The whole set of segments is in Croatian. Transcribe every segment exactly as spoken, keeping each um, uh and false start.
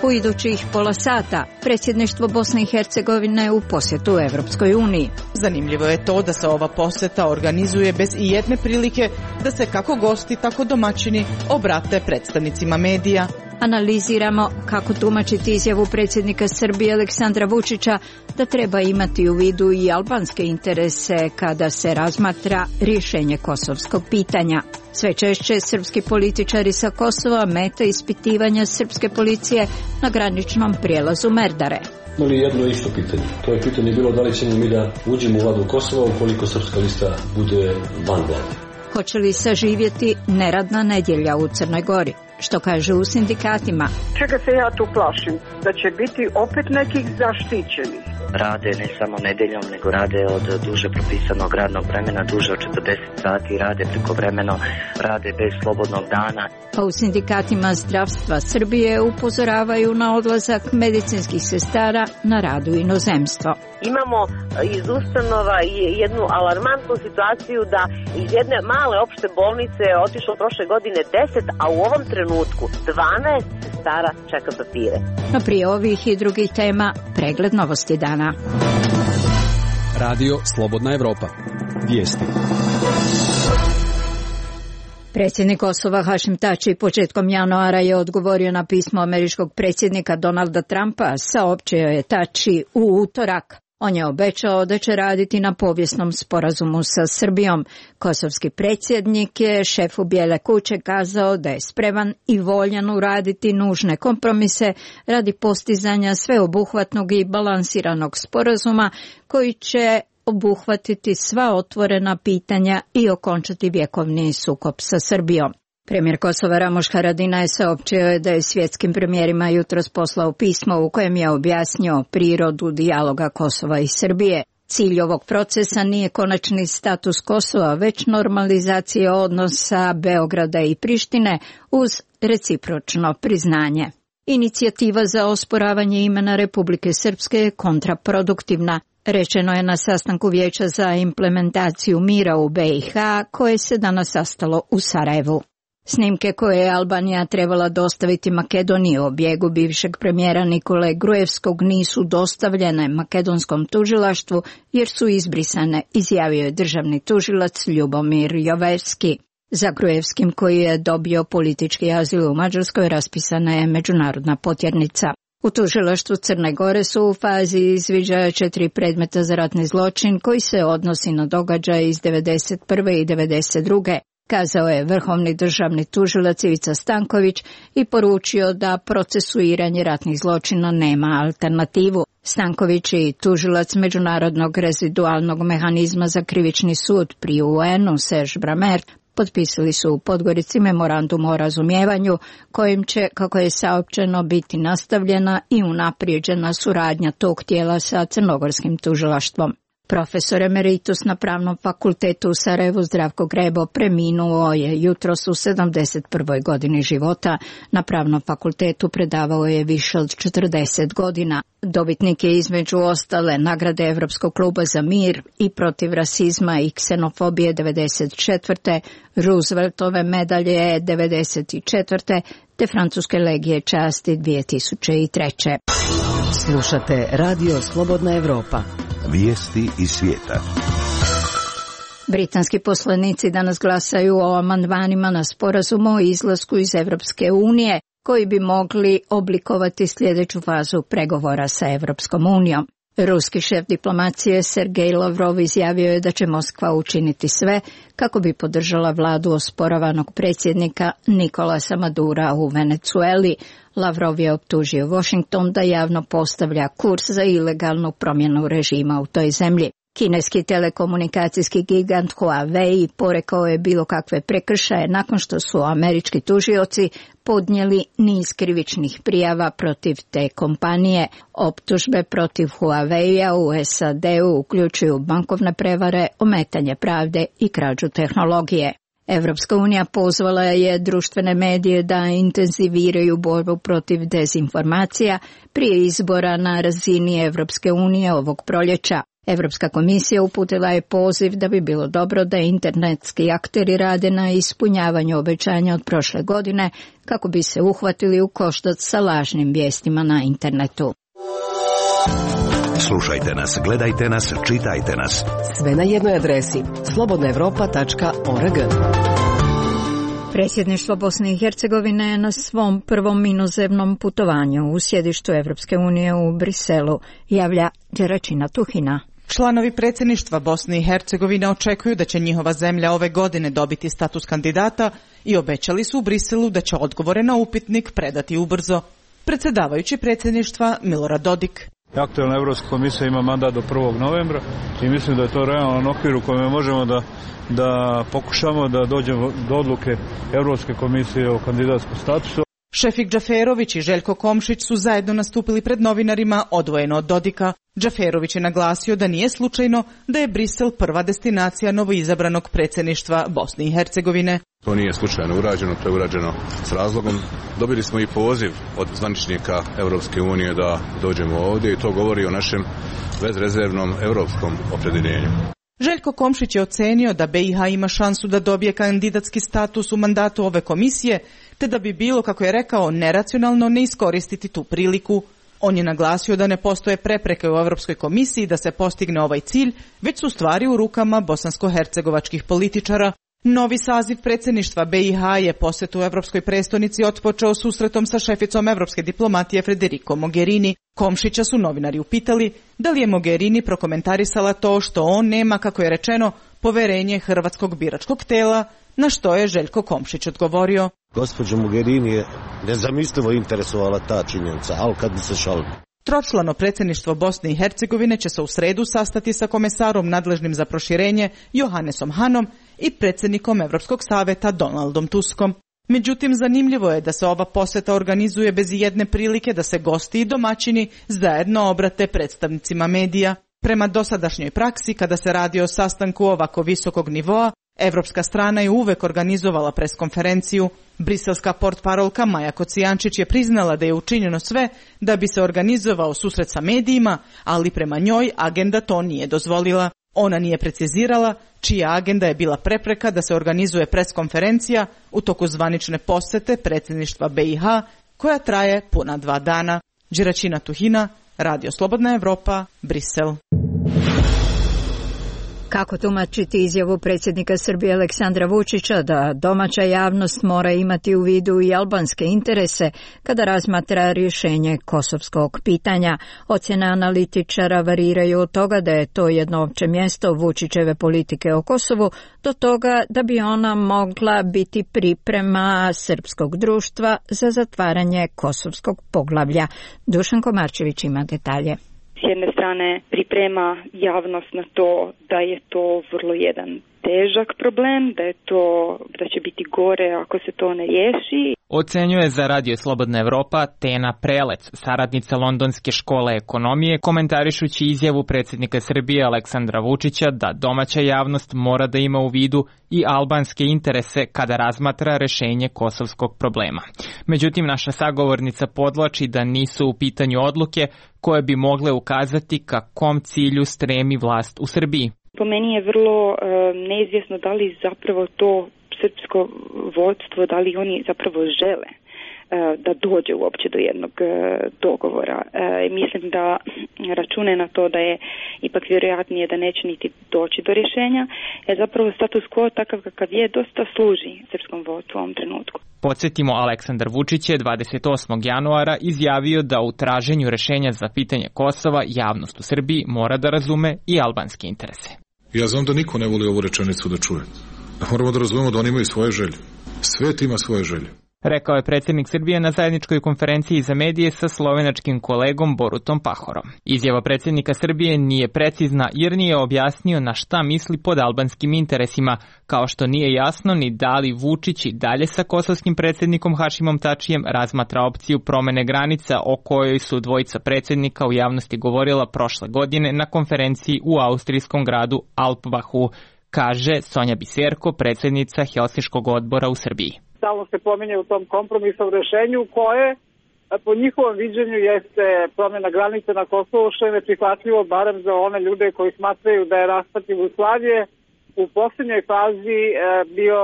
U idućih pola sata predsjedništvo Bosne i Hercegovine u posjetu Evropskoj uniji. Zanimljivo je to da se ova posjeta organizuje bez ijedne prilike da se kako gosti, tako domaćini obrate predstavnicima medija. Analiziramo kako tumačiti izjavu predsjednika Srbije Aleksandra Vučića da treba imati u vidu i albanske interese kada se razmatra rješenje kosovskog pitanja. Sve češće srpski političari sa Kosova mete ispitivanja srpske policije na graničnom prijelazu Merdare. Imali jedno isto pitanje. To je pitanje bilo da li ćemo mi da uđemo u vladu Kosova ukoliko srpska lista bude van vlade. Hoće li saživjeti neradna nedjelja u Crnoj Gori? Što kaže u sindikatima? Čega se ja tu plašim? Da će biti opet nekih zaštićenih. Rade ne samo nedjeljom, nego rade od duže propisanog radnog vremena, duže od četrdeset sati, rade prekovremeno, rade bez slobodnog dana. Pa u sindikatima zdravstva Srbije upozoravaju na odlazak medicinskih sestara na rad u inozemstvo. Imamo iz ustanova jednu alarmantnu situaciju da iz jedne male opšte bolnice je otišlo prošle godine deset, a u ovom trenutku dvanaest sestara čeka papire. No prije ovih i drugih tema pregled novosti dana. Radio Slobodna Evropa. Vijesti. Predsjednik Kosova Hašim Tači početkom januara je odgovorio na pismo američkog predsjednika Donalda Trumpa, saopćio je Tači u utorak. On je obećao da će raditi na povijesnom sporazumu sa Srbijom. Kosovski predsjednik je šefu Bijele kuće kazao da je spreman i voljan uraditi nužne kompromise radi postizanja sveobuhvatnog i balansiranog sporazuma koji će obuhvatiti sva otvorena pitanja i okončati vjekovni sukob sa Srbijom. Premijer Kosova Ramoš Haradinaj saopćio da je svjetskim premijerima jutros poslao pismo u kojem je objasnio prirodu dijaloga Kosova i Srbije. Cilj ovog procesa nije konačni status Kosova, već normalizacija odnosa Beograda i Prištine uz recipročno priznanje. Inicijativa za osporavanje imena Republike Srpske je kontraproduktivna, rečeno je na sastanku Vijeća za implementaciju mira u B i H koje se danas sastalo u Sarajevu. Snimke koje je Albanija trebala dostaviti Makedoniji o bijegu bivšeg premijera Nikole Gruevskog nisu dostavljene makedonskom tužilaštvu jer su izbrisane, izjavio je državni tužilac Ljubomir Jovevski. Za Gruevskim, koji je dobio politički azil u Mađarskoj, raspisana je međunarodna potjernica. U tužilaštvu Crne Gore su u fazi izviđaja četiri predmeta za ratni zločin koji se odnosi na događaje iz devedeset prve i devedeset druge kazao je vrhovni državni tužilac Ivica Stanković i poručio da procesuiranje ratnih zločina nema alternativu. Stanković i tužilac Međunarodnog rezidualnog mehanizma za krivični sud pri U N-u Serge Bramert potpisali su u Podgorici memorandum o razumijevanju kojim će, kako je saopćeno, biti nastavljena i unaprijeđena suradnja tog tijela sa crnogorskim tužilaštvom. Profesor emeritus na Pravnom fakultetu u Sarajevu Zdravko Grebo preminuo je jutros u sedamdeset prvoj godini života. Na Pravnom fakultetu predavao je više od četrdeset godina. Dobitnik je između ostale nagrade Evropskog kluba za mir i protiv rasizma i ksenofobije devedeset četvrte, Rooseveltove medalje devedeset četvrte te Francuske legije časti dvije tisuće treće. Slušate Radio Slobodna Evropa. Vijesti iz svijeta. Britanski poslanici danas glasaju o amandmanima na sporazum o izlasku iz Evropske unije, koji bi mogli oblikovati sljedeću fazu pregovora sa Evropskom unijom. Ruski šef diplomacije Sergej Lavrov izjavio je da će Moskva učiniti sve kako bi podržala vladu osporavanog predsjednika Nikolasa Madura u Venezueli. Lavrov je optužio Washington da javno postavlja kurs za ilegalnu promjenu režima u toj zemlji. Kineski telekomunikacijski gigant Huawei porekao je bilo kakve prekršaje nakon što su američki tužioci podnijeli niz krivičnih prijava protiv te kompanije. Optužbe protiv Huawei-a u S A D-u uključuju bankovne prevare, ometanje pravde i krađu tehnologije. Evropska unija pozvala je društvene medije da intenziviraju borbu protiv dezinformacija prije izbora na razini Evropske unije ovog proljeća. Evropska komisija uputila je poziv da bi bilo dobro da internetski akteri rade na ispunjavanju obećanja od prošle godine kako bi se uhvatili u koštac sa lažnim vijestima na internetu. Slušajte nas, gledajte nas, čitajte nas. Sve na jednoj adresi slobodna europa tačka org. Predsjedništvo Bosne i Hercegovine je na svom prvom inozemnom putovanju u sjedištu Evropske unije u Briselu, javlja Đeračina Tuhina. Članovi predsjedništva Bosne i Hercegovine očekuju da će njihova zemlja ove godine dobiti status kandidata i obećali su u Briselu da će odgovore na upitnik predati ubrzo. Predsjedavajući predsjedništva Milorad Dodik. Aktualna Evropska komisija ima mandat do prvog novembra i mislim da je to realan okvir u kojem možemo da, da pokušamo da dođemo do odluke Evropske komisije o kandidatskom statusu. Šefik Džaferović i Željko Komšić su zajedno nastupili pred novinarima odvojeno od Dodika. Džaferović je naglasio da nije slučajno da je Brisel prva destinacija novoizabranog predsjedništva Bosne i Hercegovine. To nije slučajno urađeno, to je urađeno s razlogom. Dobili smo i poziv od zvaničnika Europske unije da dođemo ovdje i to govori o našem bezrezervnom europskom opredjeljenju. Željko Komšić je ocenio da be i ha ima šansu da dobije kandidatski status u mandatu ove komisije, te da bi bilo, kako je rekao, neracionalno ne iskoristiti tu priliku. On je naglasio da ne postoje prepreke u Europskoj komisiji da se postigne ovaj cilj, već su stvari u rukama bosansko-hercegovačkih političara. Novi saziv predsjedništva be i ha je posjetu Europskoj prestonici otpočeo susretom sa šeficom europske diplomatije Federico Mogherini. Komšića su novinari upitali da li je Mogherini prokomentarisala to što on nema, kako je rečeno, poverenje hrvatskog biračkog tela, na što je Željko Komšić odgovorio. Gospođa Mogherini je nezamislivo interesovala ta činjenica, ali kad bi se šalili. Tročlano predsjedništvo Bosne i Hercegovine će se u sredu sastati sa komesarom nadležnim za proširenje Johannesom Hanom i predsjednikom Europskog saveta Donaldom Tuskom. Međutim, zanimljivo je da se ova posjeta organizuje bez jedne prilike da se gosti i domaćini zajedno obrate predstavnicima medija. Prema dosadašnjoj praksi, kada se radi o sastanku ovako visokog nivoa, Evropska strana je uvek organizovala preskonferenciju. Briselska portparolka Maja Kocijančić je priznala da je učinjeno sve da bi se organizovao susret sa medijima, ali prema njoj agenda to nije dozvolila. Ona nije precizirala čija agenda je bila prepreka da se organizuje preskonferencija u toku zvanične posjete predsjedništva be i ha, koja traje puna dva dana. Đeračina Tuhina, Radio Slobodna Evropa, Brisel. Kako tumačiti izjavu predsjednika Srbije Aleksandra Vučića da domaća javnost mora imati u vidu i albanske interese kada razmatra rješenje kosovskog pitanja? Ocjene analitičara variraju od toga da je to jedno opće mjesto Vučićeve politike o Kosovu do toga da bi ona mogla biti priprema srpskog društva za zatvaranje kosovskog poglavlja. Dušan Komarčević ima detalje. S jedne strane priprema javnost na to da je to vrlo jedan težak problem, da je to, da će biti gore ako se to ne riješi. Ocenjuje za Radio Slobodna Evropa Tena Prelec, saradnica Londonske škole ekonomije, komentarišući izjavu predsjednika Srbije Aleksandra Vučića da domaća javnost mora da ima u vidu i albanske interese kada razmatra rješenje kosovskog problema. Međutim, naša sagovornica podvlači da nisu u pitanju odluke koje bi mogle ukazati ka kom cilju stremi vlast u Srbiji. Po meni je vrlo e, neizvjesno da li zapravo to srpsko vodstvo, da li oni zapravo žele e, da dođe uopće do jednog e, dogovora. E, mislim da račune na to da je ipak vjerojatnije da neće niti doći do rješenja, jer zapravo status quo takav kakav je dosta služi srpskom vodstvu u ovom trenutku. Podsjetimo, Aleksandar Vučić je dvadeset osmog januara izjavio da u traženju rješenja za pitanje Kosova javnost u Srbiji mora da razume i albanske interese. Ja znam da niko ne voli ovu rečenicu da čuje. Moramo da razumemo da oni imaju svoje želje. Svet ima svoje želje. Rekao je predsjednik Srbije na zajedničkoj konferenciji za medije sa slovenačkim kolegom Borutom Pahorom. Izjava predsjednika Srbije nije precizna jer nije objasnio na šta misli pod albanskim interesima, kao što nije jasno ni da li Vučić i dalje sa kosovskim predsjednikom Hašimom Tačijem razmatra opciju promene granica o kojoj su dvojica predsjednika u javnosti govorila prošle godine na konferenciji u austrijskom gradu Alpbachu, kaže Sonja Biserko, predsjednica Helsinškog odbora u Srbiji. Stalno se pominje u tom kompromisnom rješenju koje po njihovom viđenju jeste promjena granica na Kosovu, što je neprihvatljivo barem za one ljude koji smatraju da je raspad Jugoslavije u posljednjoj fazi bio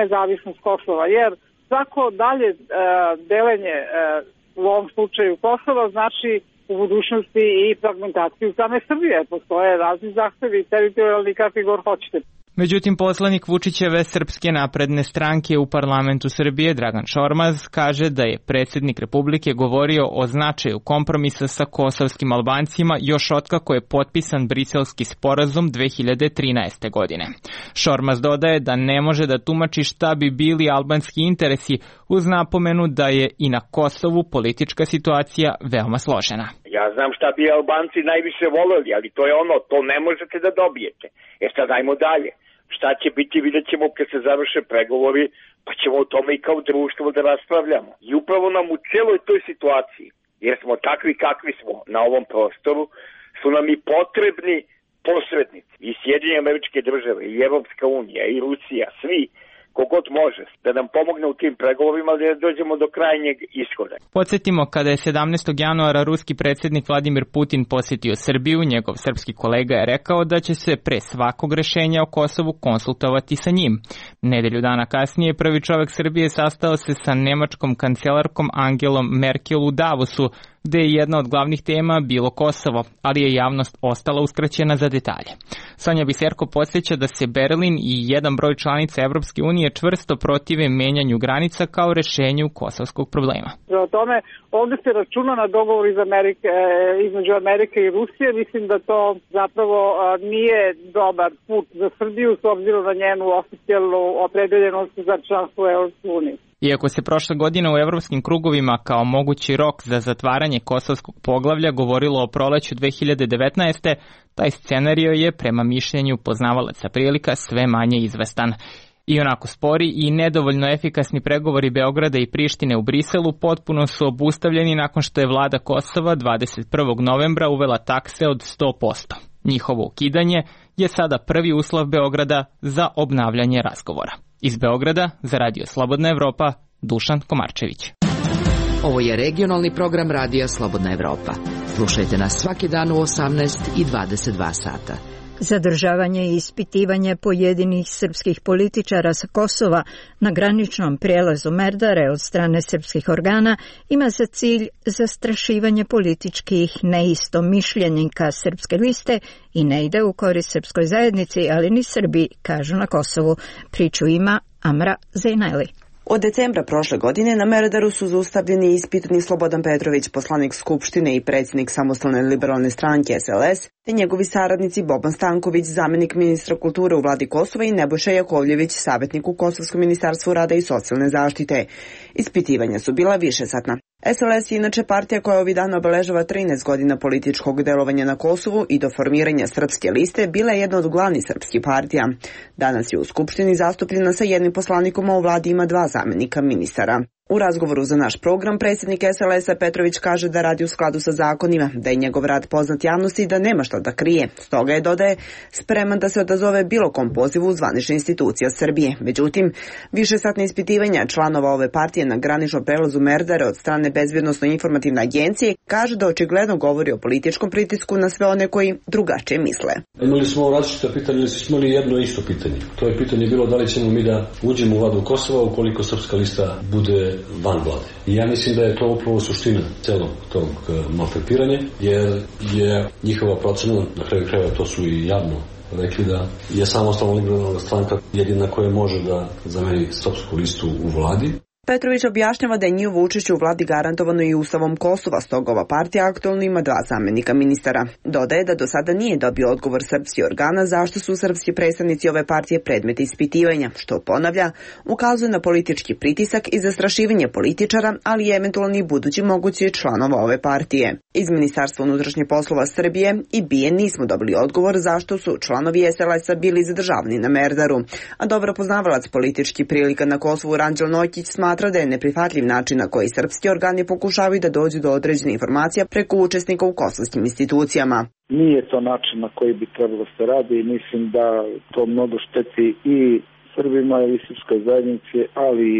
nezavisnost Kosova, jer svako dalje delenje u ovom slučaju Kosova znači u budućnosti i fragmentaciju same Srbije. Postoje razni zahtevi, teritorijalni, kakvi god hoćete. Međutim, poslanik Vučićeve Srpske napredne stranke u parlamentu Srbije, Dragan Šormaz, kaže da je predsjednik Republike govorio o značaju kompromisa sa kosovskim Albancima još otkako je potpisan Briselski sporazum dve hiljade trinaeste. godine. Šormaz dodaje da ne može da tumači šta bi bili albanski interesi uz napomenu da je i na Kosovu politička situacija veoma složena. Ja znam šta bi Albanci najviše voleli, ali to je ono, to ne možete da dobijete. E sad ajmo dalje. Šta će biti, vidjet ćemo kad se završe pregovori, pa ćemo o tome i kao društvo da raspravljamo. I upravo nam u celoj toj situaciji, jer smo takvi kakvi smo na ovom prostoru, su nam i potrebni posrednici. I Sjedinjene Američke Države, i Evropska unija, i Rusija, svi, kogod može, da nam pomogne u tim pregovorima da dođemo do krajnjeg ishoda. Podsjetimo, kada je sedamnaestog januara ruski predsjednik Vladimir Putin posjetio Srbiju, njegov srpski kolega je rekao da će se pre svakog rešenja o Kosovu konsultovati sa njim. Nedelju dana kasnije prvi čovjek Srbije sastao se sa nemačkom kancelarkom Angelom Merkel u Davosu, gde je jedna od glavnih tema bilo Kosovo, ali je javnost ostala uskraćena za detalje. Sonja Biserko podsjeća da se Berlin i jedan broj članica Evropske unije čvrsto protive menjanju granica kao rešenju kosovskog problema. O tome, ovdje se računa na dogovor iz Amerike, između Amerike i Rusije. Mislim da to zapravo nije dobar put za Srbiju s obzirom na njenu oficijalnu opredeljenost za članstvo u Evropskoj uniji. Iako se prošle godine u evropskim krugovima kao mogući rok za zatvaranje kosovskog poglavlja govorilo o proleću dve hiljade devetnaeste. taj scenario je, prema mišljenju poznavalaca prilika, sve manje izvestan. I onako spori i nedovoljno efikasni pregovori Beograda i Prištine u Briselu potpuno su obustavljeni nakon što je vlada Kosova dvadeset prvog novembra uvela takse od sto posto. Njihovo ukidanje je sada prvi uslov Beograda za obnavljanje razgovora. Iz Beograda za Radio Slobodna Evropa, Dušan Komarčević. Ovo je regionalni program Radija Slobodna Evropa. Slušajte nas svaki dan u osamnaest i dvadeset dva sata. Zadržavanje i ispitivanje pojedinih srpskih političara sa Kosova na graničnom prijelazu Merdare od strane srpskih organa ima za cilj zastrašivanje političkih neistomišljenika srpske liste i ne ide u korist srpskoj zajednici, ali ni Srbi, kažu na Kosovu. Priču ima Amra Zejnajli. Od decembra prošle godine na Merdaru su zaustavljeni i ispitani Slobodan Petrović, poslanik Skupštine i predsjednik Samostalne liberalne stranke S L S, te njegovi saradnici Boban Stanković, zamjenik ministra kulture u vladi Kosova, i Nebojša Jakovljević, savjetnik u Kosovskom ministarstvu rada i socijalne zaštite. Ispitivanja su bila višesatna. S L S je inače partija koja ovih dana obeležava trinaest godina političkog delovanja na Kosovu i do formiranja srpske liste bila je jedna od glavnih srpskih partija. Danas je u Skupštini zastupljena sa jednim poslanikom, a u vladi ima dva zamjenika ministara. U razgovoru za naš program predsjednik S L S-a Petrović kaže da radi u skladu sa zakonima, da je njegov rad poznat javnosti i da nema što da krije. Stoga je, dodaje, spreman da se odazove bilo kom pozivu zvanične institucija Srbije. Međutim, višesatne ispitivanja članova ove partije na graničnom prelazu Merdare od strane Bezbjednosno-informativne agencije kaže da očigledno govori o političkom pritisku na sve one koji drugačije misle. Imali smo različita pitanja, ili smo imali jedno isto pitanje. To je pitanje bilo da li ćemo mi da uđemo u vladu Kosova ukoliko srpska lista bude van vlade. I ja mislim da je to upravo suština celog tog maltretiranja, jer je njihova procena, na kraju krajeva to su i javno rekli, da je Samostalna liberalna stranka jedina koja može da zameni srpsku listu u vladi. Petrović objašnjava da je njihovo učešće u vladi garantovano i Ustavom Kosova, stoga ova partija aktualno ima dva zamjenika ministara. Dodaje da do sada nije dobio odgovor srpskih organa zašto su srpski predstavnici ove partije predmet ispitivanja, što, ponavlja, ukazuje na politički pritisak i zastrašivanje političara, ali i eventualni budući mogući članova ove partije. Iz Ministarstva unutrašnjih poslova Srbije i B I E nismo dobili odgovor zašto su članovi S L S-a bili zadržavani na Merdaru, a dobro poznavalac politički prilika na Kosovu Ranđel Nokić smatra da je neprihvatljiv način na koji srpski organi pokušavaju da dođu do određene informacija preko učesnika u kosovskim institucijama. Nije to način na koji bi trebalo se radi i mislim da to mnogo šteti i Srbima i srpskoj zajednici, ali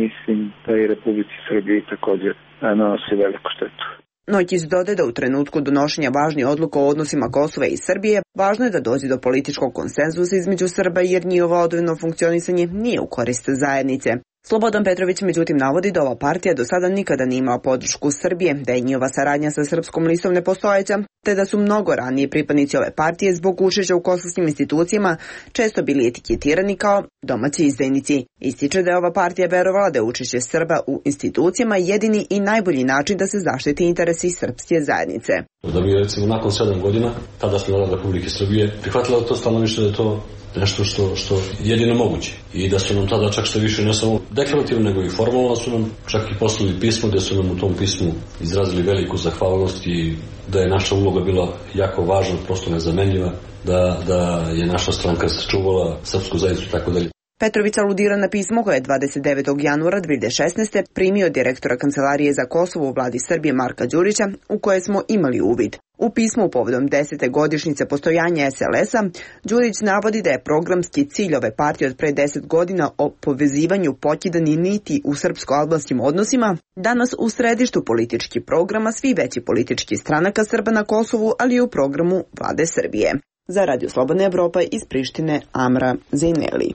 mislim da i Republici Srbiji također. nanosi veliku štetu. Noćić dodaje da u trenutku donošenja važnih odluka o odnosima Kosova i Srbije važno je da dođe do političkog konsenzusa između Srba jer njihovo odvojeno funkcionisanje nije u korist zajednice. Slobodan Petrović međutim navodi da ova partija do sada nikada nije imala podršku Srbije, da je njihova saradnja sa Srpskom listom nepostojeća, te da su mnogo ranije pripadnici ove partije zbog učešća u kosovskim institucijama često bili etiketirani kao domaći izdajnici. Ističe da je ova partija verovala da je učešće Srba u institucijama jedini i najbolji način da se zaštiti interesi srpske zajednice. Da bi recimo nakon sedam godina, tada smo Vlada Republike Srbije prihvatila to stanovište da je to nešto što, što jedino moguće. I da su nam tada čak što više ne samo deklarativno, nego i formalno su nam čak i poslali pismo gdje su nam u tom pismu izrazili veliku zahvalnost i da je naša uloga bila jako važna, prosto nezamenljiva, da, da je naša stranka sačuvala srpsku zajednicu i tako dalje. Petrović aludira na pismo koje je dvadeset devetog januara dve hiljade šesnaeste. primio direktora Kancelarije za Kosovo u vladi Srbije Marka Đurića, u koje smo imali uvid. U pismu povodom desete godišnjice postojanja S L S-a, Đurić navodi da je programski cilj ove partije od pre deset godina o povezivanju pokidani niti u srpsko-albanskim odnosima, danas u središtu političkih programa svi veći politički stranaka Srba na Kosovu, ali i u programu vlade Srbije. Za Radio Slobodna Evropa iz Prištine, Amra Zejneli.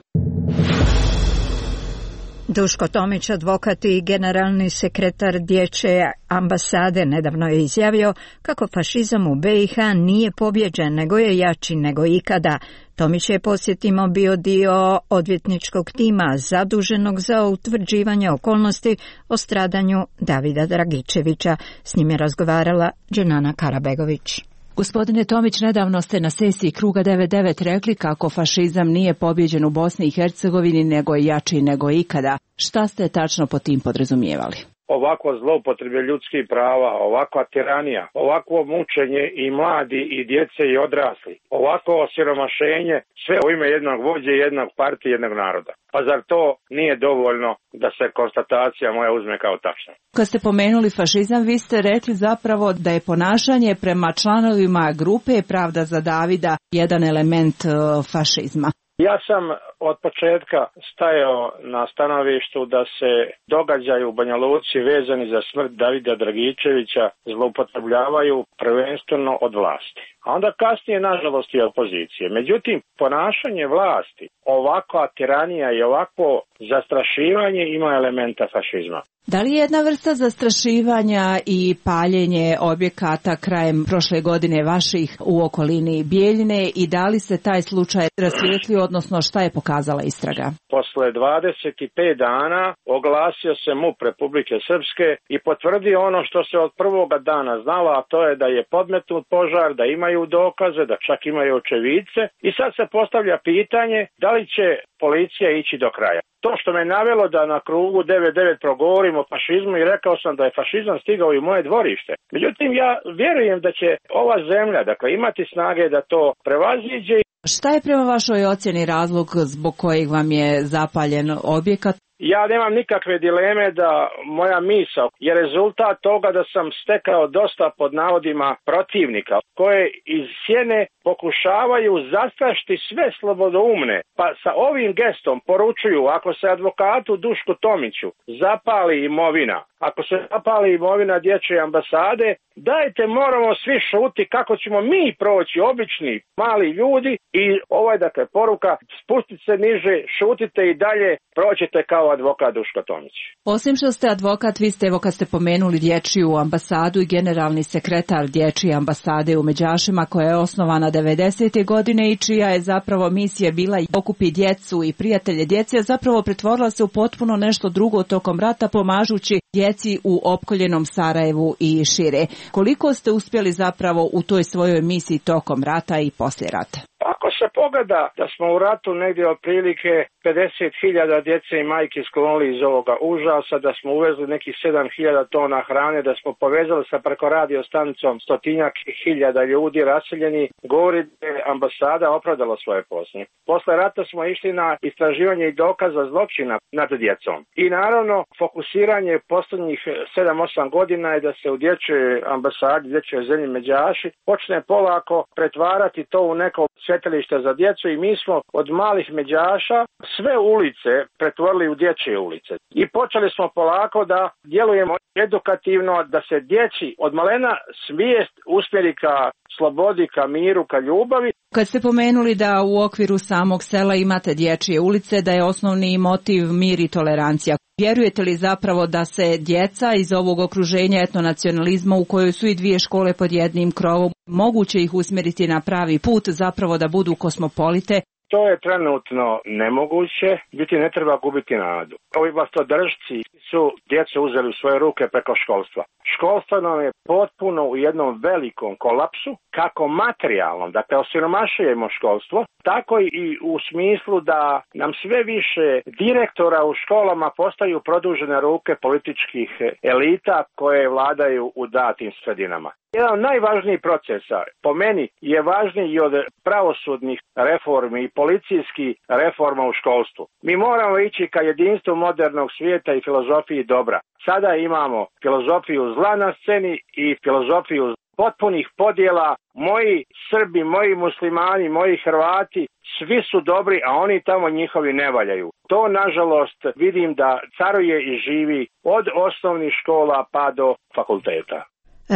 Duško Tomić, advokat i generalni sekretar Dječje ambasade, nedavno je izjavio kako fašizam u B i H nije pobjeđen, nego je jači nego ikada. Tomić je, podsjetimo, bio dio odvjetničkog tima zaduženog za utvrđivanje okolnosti o stradanju Davida Dragičevića. S njim je razgovarala Dženana Karabegović. Gospodine Tomić, nedavno ste na sesiji Kruga devedeset devet rekli kako fašizam nije pobjeđen u Bosni i Hercegovini, nego je jači nego ikada. Šta ste tačno po tim podrazumijevali? Ovako zloupotrebe ljudskih prava, ovakva tiranija, ovakvo mučenje i mladi i djece i odrasli, ovako osiromašenje, sve u ime jednog vođe, jednog partije, jednog naroda. Pa zar to nije dovoljno da se konstatacija moja uzme kao tačna? Kad ste pomenuli fašizam, vi ste rekli zapravo da je ponašanje prema članovima grupe Pravda za Davida jedan element uh, fašizma. Ja sam od početka stajao na stanovištu da se događaju u Banja Luci vezani za smrt Davida Dragičevića zloupotrebljavaju prvenstveno od vlasti. A onda kasnije, nažalost, i opozicije. Međutim, ponašanje vlasti, ovakva tiranija i ovakvo zastrašivanje ima elementa fašizma. Da li je jedna vrsta zastrašivanja i paljenje objekata krajem prošle godine vaših u okolini Bijeljine i da li se taj slučaj rasvijetlio, odnosno šta je pokazala istraga? Posle dvadeset pet dana oglasio se M U P Republike Srpske i potvrdio ono što se od prvoga dana znalo, a to je da je podmetnut požar, da imaju dokaze, da čak imaju očevidce i sad se postavlja pitanje da li će policija ići do kraja. To što me navelo da na Krugu devedeset devet progovorim o fašizmu i rekao sam da je fašizam stigao i u moje dvorište. Međutim, ja vjerujem da će ova zemlja, dakle, imati snage da to prevaziđe. Šta je prema vašoj ocjeni razlog zbog kojeg vam je zapaljen objekat? Ja nemam nikakve dileme da moja misao je rezultat toga da sam stekao dosta pod navodima protivnika koje iz sjene pokušavaju zastrašiti sve slobodoumne. Pa sa ovim gestom poručuju, ako se advokatu Dušku Tomiću zapali imovina, ako se zapali imovina Dječje ambasade, dajte moramo svi šuti kako ćemo mi proći, obični mali ljudi, i ovaj dakle poruka, spustite se niže, šutite i dalje, proćete kao advokat Duško Tomić. Osim što ste advokat, vi ste, evo kad ste pomenuli Dječju ambasadu, i generalni sekretar Dječje ambasade u Međašima, koja je osnovana devedesete godine i čija je zapravo misija bila okupi djecu i prijatelje djece, a zapravo pretvorila se u potpuno nešto drugo tokom rata, pomažući djeci u opkoljenom Sarajevu i šire. Koliko ste uspjeli zapravo u toj svojoj misiji tokom rata i poslije rata? Ako se pogleda da smo u ratu negdje otprilike pedeset hiljada djece i majki sklonili iz ovoga užasa, da smo uvezli nekih sedam hiljada tona hrane, da smo povezali sa preko radio stanicom stotinjak hiljada ljudi raseljeni, govori da je ambasada opravdala svoje posle. Posle rata smo išli na istraživanje i dokaza zločina nad djecom. I naravno, fokusiranje posljednjih sedam osam godina je da se u Dječjoj ambasadi, Dječjoj zemlji Međaši, počne polako pretvarati to u neko svjetilište za djecu i mi smo od malih međaša sve ulice pretvorili u dječje ulice. I počeli smo polako da djelujemo edukativno, da se djeci od malena svijest usmjeri ka slobodi, ka miru, ka ljubavi. Kad ste pomenuli da u okviru samog sela imate dječje ulice, da je osnovni motiv mir i tolerancija, vjerujete li zapravo da se djeca iz ovog okruženja etnonacionalizma u kojoj su i dvije škole pod jednim krovom, moguće ih usmjeriti na pravi put, zapravo da budu kosmopolite? To je trenutno nemoguće, biti ne treba gubiti nadu. Ovi vlastodržci su djecu uzeli u svoje ruke preko školstva. Školstvo nam je potpuno u jednom velikom kolapsu, kako materijalnom, dakle osiromašujemo školstvo, tako i u smislu da nam sve više direktora u školama postaju produžene ruke političkih elita koje vladaju u datim sredinama. Jedan od najvažnijih procesa, po meni, je važniji i od pravosudnih reformi i policijskih reforma u školstvu. Mi moramo ići ka jedinstvu modernog svijeta i filozofiji dobra. Sada imamo filozofiju zla na sceni i filozofiju potpunih podjela. Moji Srbi, moji muslimani, moji Hrvati, svi su dobri, a oni tamo njihovi ne valjaju. To, nažalost, vidim da caruje i živi od osnovnih škola pa do fakulteta.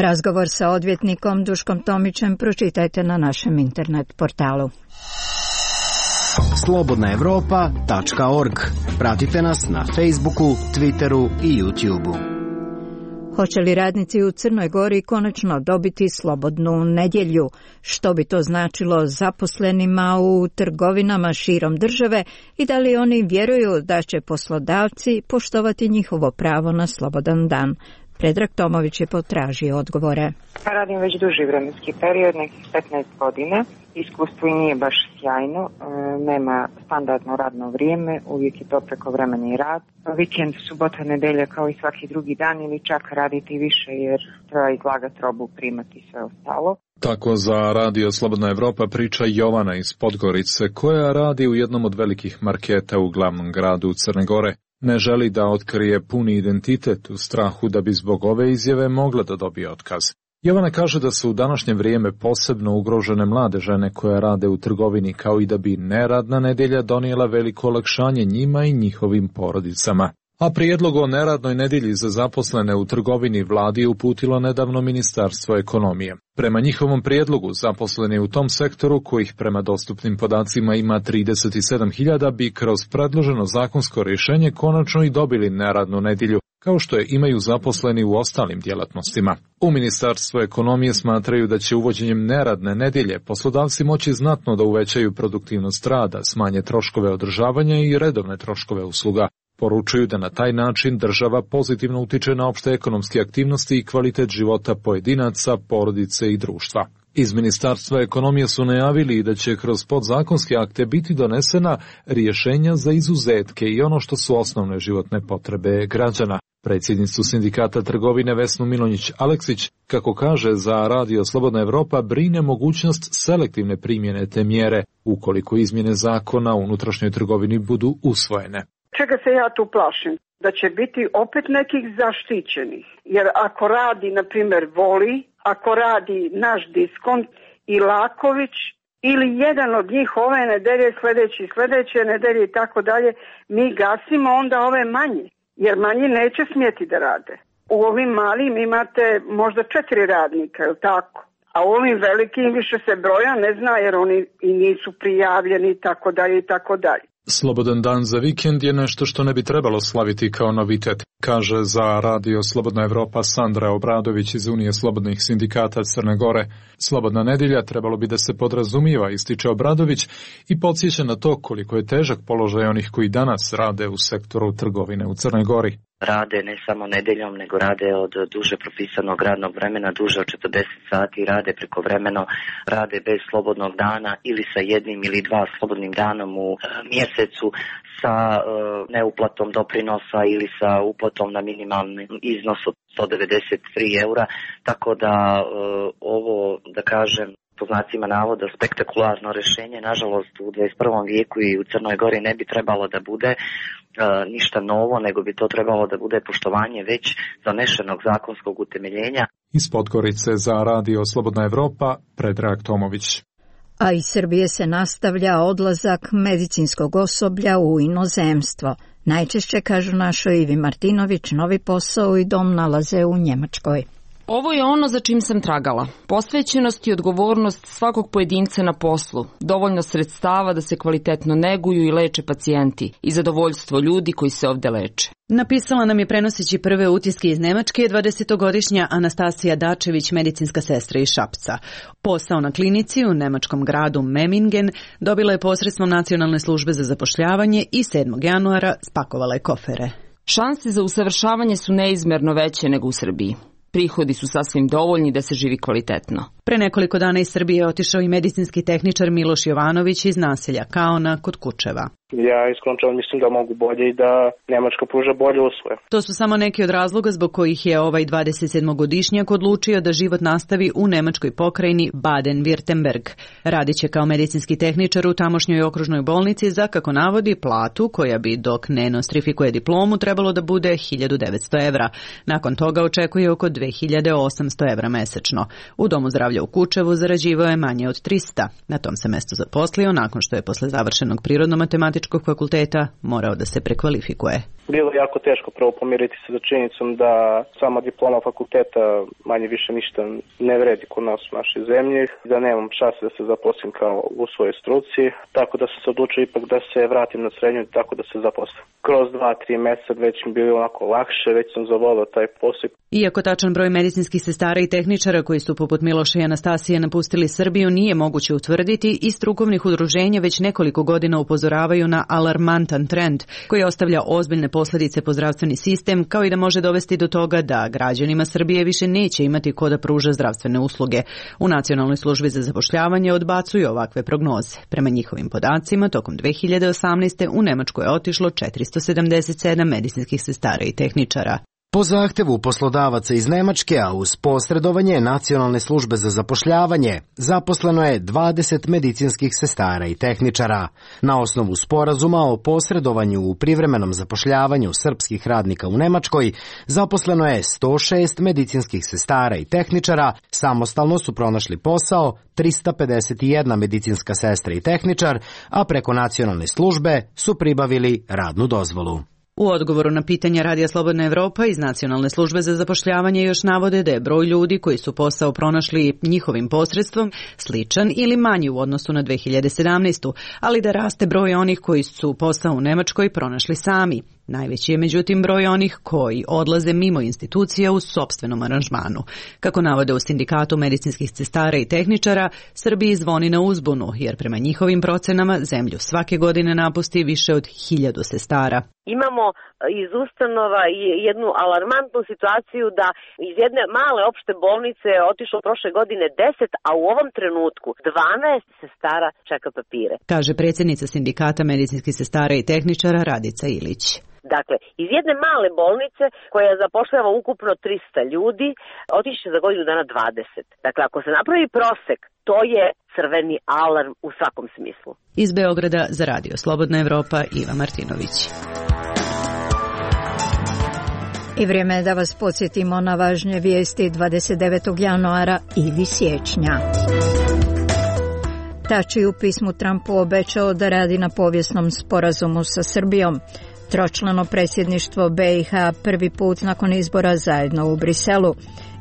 Razgovor sa odvjetnikom Duškom Tomićem pročitajte na našem internet portalu. slobodna europa tačka org. Pratite nas na Facebooku, Twitteru i YouTubeu. Hoće li radnici u Crnoj Gori konačno dobiti slobodnu nedjelju? Što bi to značilo zaposlenima u trgovinama širom države i da li oni vjeruju da će poslodavci poštovati njihovo pravo na slobodan dan? Predrag Tomović je potražio odgovore. Radim već duži vremenski period, nekih petnaest godina. Iskustvo i nije baš sjajno, nema standardno radno vrijeme, uvijek je to prekovremeni rad. Vikend, subota, nedelja kao i svaki drugi dan ili čak raditi više jer treba izlagati robu, primati i sve ostalo. Tako za Radio Slobodna Evropa priča Jovana iz Podgorice, koja radi u jednom od velikih marketa u glavnom gradu Crne Gore. Ne želi da otkrije puni identitet u strahu da bi zbog ove izjave mogla da dobije otkaz. Jovana kaže da su u današnje vrijeme posebno ugrožene mlade žene koje rade u trgovini, kao i da bi neradna nedjelja donijela veliko olakšanje njima i njihovim porodicama. A prijedlog o neradnoj nedjelji za zaposlene u trgovini vladi je uputilo nedavno Ministarstvo ekonomije. Prema njihovom prijedlogu zaposleni u tom sektoru, kojih prema dostupnim podacima ima trideset sedam hiljada, bi kroz predloženo zakonsko rješenje konačno i dobili neradnu nedjelju, kao što je imaju zaposleni u ostalim djelatnostima. U Ministarstvu ekonomije smatraju da će uvođenjem neradne nedjelje poslodavci moći znatno da uvećaju produktivnost rada, smanje troškove održavanja i redovne troškove usluga. Poručuju da na taj način država pozitivno utiče na opšte ekonomske aktivnosti i kvalitet života pojedinaca, porodice i društva. Iz Ministarstva ekonomije su najavili da će kroz podzakonske akte biti donesena rješenja za izuzetke i ono što su osnovne životne potrebe građana. Predsjednicu sindikata trgovine Vesnu Milonjić-Aleksić, kako kaže za Radio Slobodna Evropa, brine mogućnost selektivne primjene te mjere ukoliko izmjene zakona u unutrašnjoj trgovini budu usvojene. Čega se ja tu plašim? Da će biti opet nekih zaštićenih. Jer ako radi, na primjer, Voli, ako radi naš Diskont i Laković, ili jedan od njih ove nedelje, sljedeći, sljedeće nedelje i tako dalje, mi gasimo onda ove manje. Jer manji neće smjeti da rade. U ovim malim imate možda četiri radnika, je li tako? A u ovim velikim više se broja ne zna jer oni i nisu prijavljeni i tako dalje i tako dalje. Slobodan dan za vikend je nešto što ne bi trebalo slaviti kao novitet, kaže za Radio Slobodna Evropa Sandra Obradović iz Unije slobodnih sindikata Crne Gore. Slobodna nedjelja trebalo bi da se podrazumijeva, ističe Obradović i podsjeća na to koliko je težak položaj onih koji danas rade u sektoru trgovine u Crnoj Gori. Rade ne samo nedeljom, nego rade od duže propisanog radnog vremena, duže od četrdeset sati, rade prekovremeno, rade bez slobodnog dana ili sa jednim ili dva slobodnim danom u mjesecu, sa uh, neuplatom doprinosa ili sa uplatom na minimalni iznos od sto devedeset tri eura, tako da uh, ovo, da kažem, po znacima navoda spektakularno rješenje, nažalost u dvadeset prvom vijeku i u Crnoj Gori ne bi trebalo da bude e, ništa novo, nego bi to trebalo da bude poštovanje već zanešenog zakonskog utemeljenja. Iz Podgorice za Radio Slobodna Evropa, Predrag Tomović. A iz Srbije se nastavlja odlazak medicinskog osoblja u inozemstvo. Najčešće, kažu našoj Ivi Martinović, novi posao i dom nalaze u Njemačkoj. Ovo je ono za čim sam tragala. Posvećenost i odgovornost svakog pojedinca na poslu, dovoljno sredstava da se kvalitetno neguju i leče pacijenti i zadovoljstvo ljudi koji se ovde leče. Napisala nam je, prenoseći prve utiske iz Nemačke, dvadesetogodišnja Anastasija Dačević, medicinska sestra iz Šapca. Posao na klinici u nemačkom gradu Memmingen dobila je posredstvom Nacionalne službe za zapošljavanje i sedmog januara spakovala je kofere. Šanse za usavršavanje su neizmerno veće nego u Srbiji. Prihodi su sasvim dovoljni da se živi kvalitetno. Pre nekoliko dana iz Srbije je otišao i medicinski tehničar Miloš Jovanović iz naselja Kaona kod Kučeva. Ja iskreno mislim da mogu bolje i da Nemačka pruža bolje usluge. To su samo neki od razloga zbog kojih je ovaj dvadesetsedmogodišnjak odlučio da život nastavi u nemačkoj pokrajini Baden-Württemberg. Radit će kao medicinski tehničar u tamošnjoj okružnoj bolnici za, kako navodi, platu koja bi, dok ne nostrifikuje diplomu, trebalo da bude hiljadu devetsto evra. Nakon toga očekuje oko dve hiljade osamsto evra mesečno. U domu zdravlja u Kučevu zarađivao je manje od trista. Na tom se mestu zaposlio nakon što je posle završenog prirodno-matematičkog fakulteta morao da se prekvalifikuje. Bilo je jako teško prvo pomiriti se sa činjenicom da sama diploma fakulteta manje više ništa ne vredi kod nas u našoj zemlji, da nemam šanse da se zaposlim kao u svojoj struci, tako da sam se odlučio ipak da se vratim na srednju i tako da se zaposlim. Kroz dva, tri meseca već mi bilo onako lakše, već sam zavolio taj posao. Iako tačan broj medicinskih sestara i tehničara koji su poput Miloša i Anastasije napustili Srbiju nije moguće utvrditi, i strukovnih udruženja već nekoliko godina upozoravaju na alarmantan trend koji ostavlja ozbiljne posljedice po zdravstveni sistem, kao i da može dovesti do toga da građanima Srbije više neće imati ko da pruža zdravstvene usluge. U Nacionalnoj službi za zapošljavanje odbacuju ovakve prognoze. Prema njihovim podacima, tokom dve hiljade osamnaeste. u Nemačku je otišlo četiristo sedamdeset sedam medicinskih sestara i tehničara. Po zahtevu poslodavaca iz Nemačke, a uz posredovanje Nacionalne službe za zapošljavanje, zaposleno je dvadeset medicinskih sestara i tehničara. Na osnovu sporazuma o posredovanju u privremenom zapošljavanju srpskih radnika u Nemačkoj, zaposleno je sto šest medicinskih sestara i tehničara, samostalno su pronašli posao trista pedeset jedna medicinska sestra i tehničar, a preko Nacionalne službe su pribavili radnu dozvolu. U odgovoru na pitanja Radija Slobodna Evropa iz Nacionalne službe za zapošljavanje još navode da je broj ljudi koji su posao pronašli njihovim posredstvom sličan ili manji u odnosu na dve hiljade sedamnaestu. ali da raste broj onih koji su posao u Nemačkoj pronašli sami. Najveći je međutim broj onih koji odlaze mimo institucija u sopstvenom aranžmanu. Kako navode u Sindikatu medicinskih sestara i tehničara, Srbiji zvoni na uzbunu, jer prema njihovim procenama zemlju svake godine napusti više od hiljadu sestara. Imamo iz ustanova jednu alarmantnu situaciju da iz jedne male opšte bolnice je otišlo prošle godine deset, a u ovom trenutku dvanaest sestara čeka papire. Kaže predsjednica Sindikata medicinskih sestara i tehničara Radica Ilić. Dakle, iz jedne male bolnice koja zapošljava ukupno trista ljudi, otiće za godinu dana dvadeset. Dakle, ako se napravi prosek, to je crveni alarm u svakom smislu. Iz Beograda za Radio Slobodna Evropa, Iva Martinović. I vrijeme je da vas podsjetimo na važnje vijesti dvadeset devetog januara ili siječnja. Tači u pismu Trumpu obećao da radi na povijesnom sporazumu sa Srbijom. Tročlano predsjedništvo B i H prvi put nakon izbora zajedno u Briselu.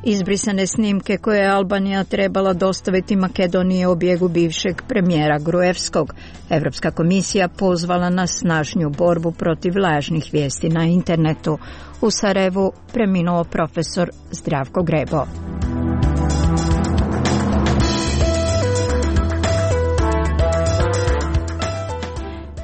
Izbrisane snimke koje je Albanija trebala dostaviti Makedoniji o bijegu bivšeg premijera Gruevskog. Europska komisija pozvala na snažniju borbu protiv lažnih vijesti na internetu. U Sarajevu preminuo profesor Zdravko Grebo.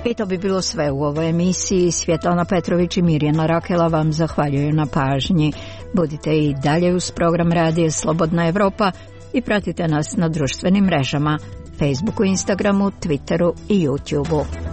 I to bi bilo sve u ovoj emisiji. Svjetlana Petrović i Mirjana Rakela vam zahvaljuju na pažnji. Budite i dalje uz program Radija Slobodna Evropa i pratite nas na društvenim mrežama, Facebooku, Instagramu, Twitteru i YouTubeu.